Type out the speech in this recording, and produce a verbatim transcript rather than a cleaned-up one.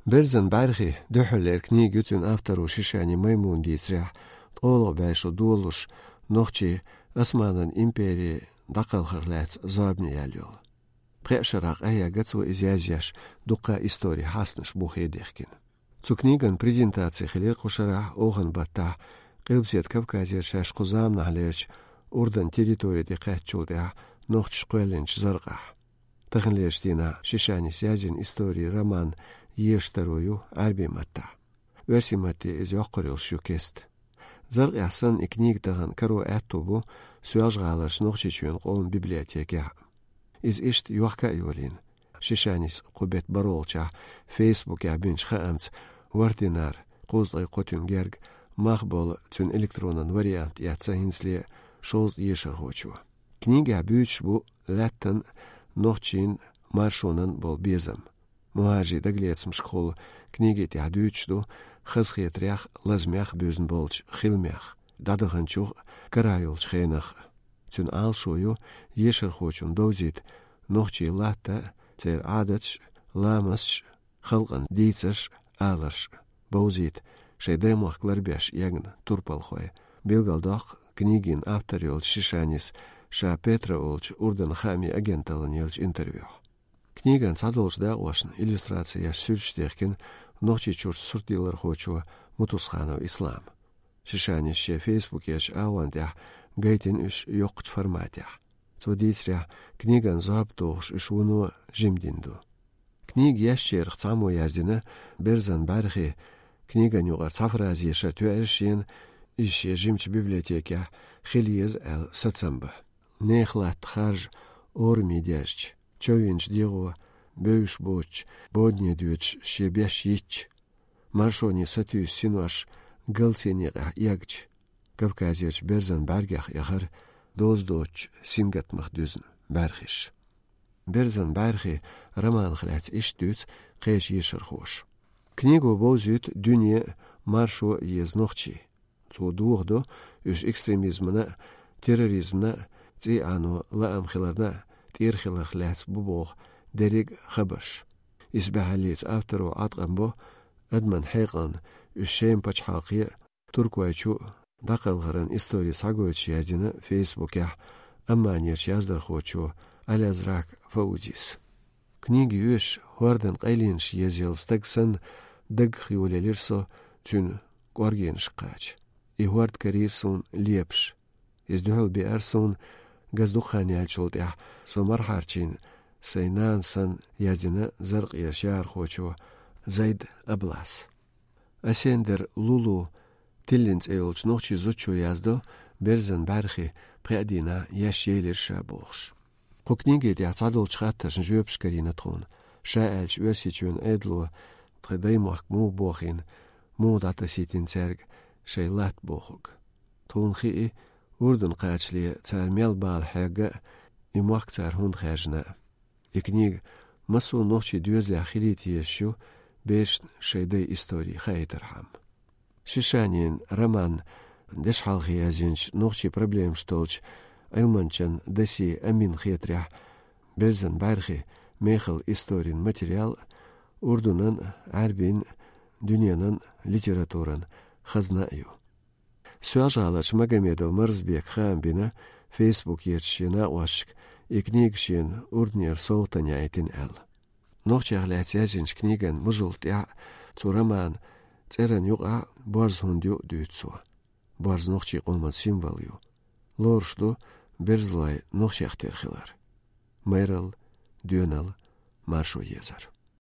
«Берзан бӀаьрхи» дуьххьарлера книга ю цуьнан авторо Шишани Маймуна дийцарехь, ткъолгӀа бӀаьшу долуш нохчий Османан импери дӀакхалхар лаьцна зорбане яьлла йолу. Пхеа шарахь къахьегна цо иза язъеш, дуккха историн хьаснаш бухе дехкина. Цу книган презентаци хилира кху шарахь, охан баттахь, Къилбаседа Кавказера шаьш кху заманахьлерчу Урдан территори тӀе кхаьчначул тӀаьхьа нохчаша кхоьллинчу Заркъахь. Таханлерчу дийнахь Шишанис язйина историн роман езаш таро ю Ӏаьрбийн маттахь. Оьрсийн матте иза йоккхур йолуш ю кеста. Заркъехь санна, и книга тахана каро аьтту бу Соьлжа-ГӀаларчу Нохчийчоьнан къоман библиотекехь. Иза иштта йохка а йолийна. Шишанис кху беттан бархӀолгӀачохь Фейсбукехь бинчу хаамца, ворхӀ динар, кхузткъе кхо туьма герга, мах болу цуьнан электронан вариант эцна хӀинцале шовзткъа ешархочо. Книгехь буьйцуш бу лаьттан, нохчийн, маршонан болу безам. Мухьажарийн дагалецамашкахула книги тӀехь дуьйцуш ду хазахетарех, лазамех буьзна болчу хиламех, дӀадаханчух а, карахь йолчу хенах а. Цуьнан Ӏалашо ю ешархочунна довзийта нохчийн латта а, церан Ӏадаташ а, ламасташ а, халкъан дийцарш а, аларш а, бовзийта шайн даймохк ларбеш эгна турпалхой, билгалдоккху книгин автор йолчу Шишанис ша Петра олучу Урдан хаамийн агенталлина еллачу интервьюхь. Книган цхьадолчу дакъошна иллюстраци еш суьрташ дехкина Нохчийчуьрчу суртдиллархочо Мутусханов Ислама. Шишанис шен Фейсбукерчу агӀон тӀехь гайтина уьш йоккхачу форматехь. Цо дийцарехь, книган зорба тухуш уьш вуно жима дина ду. Книга ешначарах цхьаммо яздина: «Берзан бӀаьрхи» книган юкъара цхьа фраза ешар тоьар шена, иза шен жимачу библиотекехь хила еза аьлла сацам бан. Нехан латта харжа ораме даьржича, човйинчу дегӀо бевзаш боцучу бодане доьдуш шен беш йитча, маршоне сатуьйсу синош галцийн некъехь эгча, Кавказерчу берзан бӀаьргех яхара доза доцучу сингаттамах дуьзна бӀаьрхиш. «Берзан бӀаьрхи» романах лаьцна иштта дуьйцу кхечу ешархоша: «Книго бовзуьйту дуьне а, маршо а еза нохчий. Цо дохадо уьш экстремизмана а, терроризмана а, цӀий Ӏано лаам хиларна а тӀера хиларх лаьцна бу боху дерриг а хабарш. Исбаьхьаллица авторо Ӏаткъам бо адаман хьекъална уьш Шема пачхьалкхе а, Туркойчу а дӀакхалхаран истори схьагойтуш», яздина Фейсбукехь Амманерчу яздархочо Алязрак Фаузис. «Книга йоьшуш, хӀордан къайленаш езъелла стаг санна, даггах йолаелира со цуьнан кӀоргенашка кхача. И хӀорд карийра суна лепаш. Иза дуьхьал беара суна газа дукха хан яьллачул тӀаьхьа, со мархьарчийна сайн нана санна», яздина Заркъера шаьрхочо Зайд Аблас. Асендер Лулу тиллина цӀе йолчу нохчийн зудчо яздо «Берзан бӀаьрхи» пхеа дийнахь еш елира ша бохуш. Кху книги тӀехь цхьадолчу хаттаршна жоьпаш карийна тхуна, ша аьлча Оьрсийчоьнан Ӏедало тхан даймохк муха бохийна, муха дӀатасийтина цаьрга шайн латта бохург. Тхуна хии, Урдан кхачале цара мел бала хьегна а, и мохк цара хӀунда хаьржина а. И книга массо а нохчийн доьзалехь хилийта езаш ю, берашна шайн дайн истори хаийтархьама. Шишанин роман дешхьалхе язйинчу, нохчийн проблемаш толлучу Ӏилманчин Даси Аминан хетарехь, «Берзан бӀаьрхи» мехала историн материал Урдунан, Ӏаьрбийн, дуьненан литературан хазна а ю. Соьлжа-ГӀаларчу Магомедов Марзбека хаам бина Фейсбукерчу шен накъосташка, и книга шена Урданера совгӀатана яийтина аьлла. Нохчех лаьцна язйинчу книган мужалта тӀехь цу романан цӀеран юкъахь борз хӀунда ю дуьйцу цо. Борз нохчийн къоман символ ю. Лоруш ду берзалой нохчех тера хилар. Майралла, доьналла, маршо езар.